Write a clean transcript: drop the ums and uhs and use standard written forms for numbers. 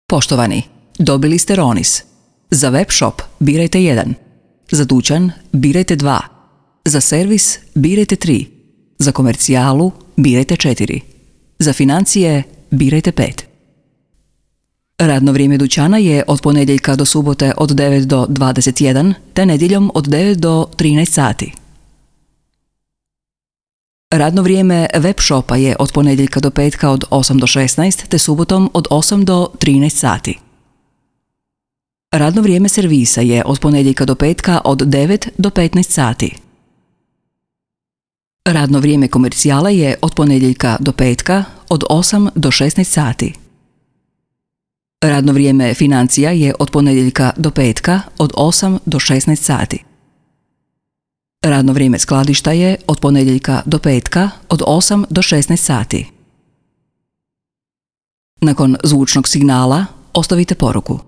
Poštovani, dobili ste Ronis. Za web shop birajte 1. Za dućan birajte 2. Za servis birajte 3. Za komercijalu birajte 4. Za financije birajte 5. Radno vrijeme dućana je od ponedjeljka do subote od 9 do 21, te nedjeljom od 9 do 13 sati. Radno vrijeme web shopa je od ponedjeljka do petka od 8 do 16, te subotom od 8 do 13 sati. Radno vrijeme servisa je od ponedjeljka do petka od 9 do 15 sati. Radno vrijeme komercijala je od ponedjeljka do petka od 8 do 16 sati. Radno vrijeme financija je od ponedjeljka do petka od 8 do 16 sati. Radno vrijeme skladišta je od ponedjeljka do petka od 8 do 16 sati. Nakon zvučnog signala ostavite poruku.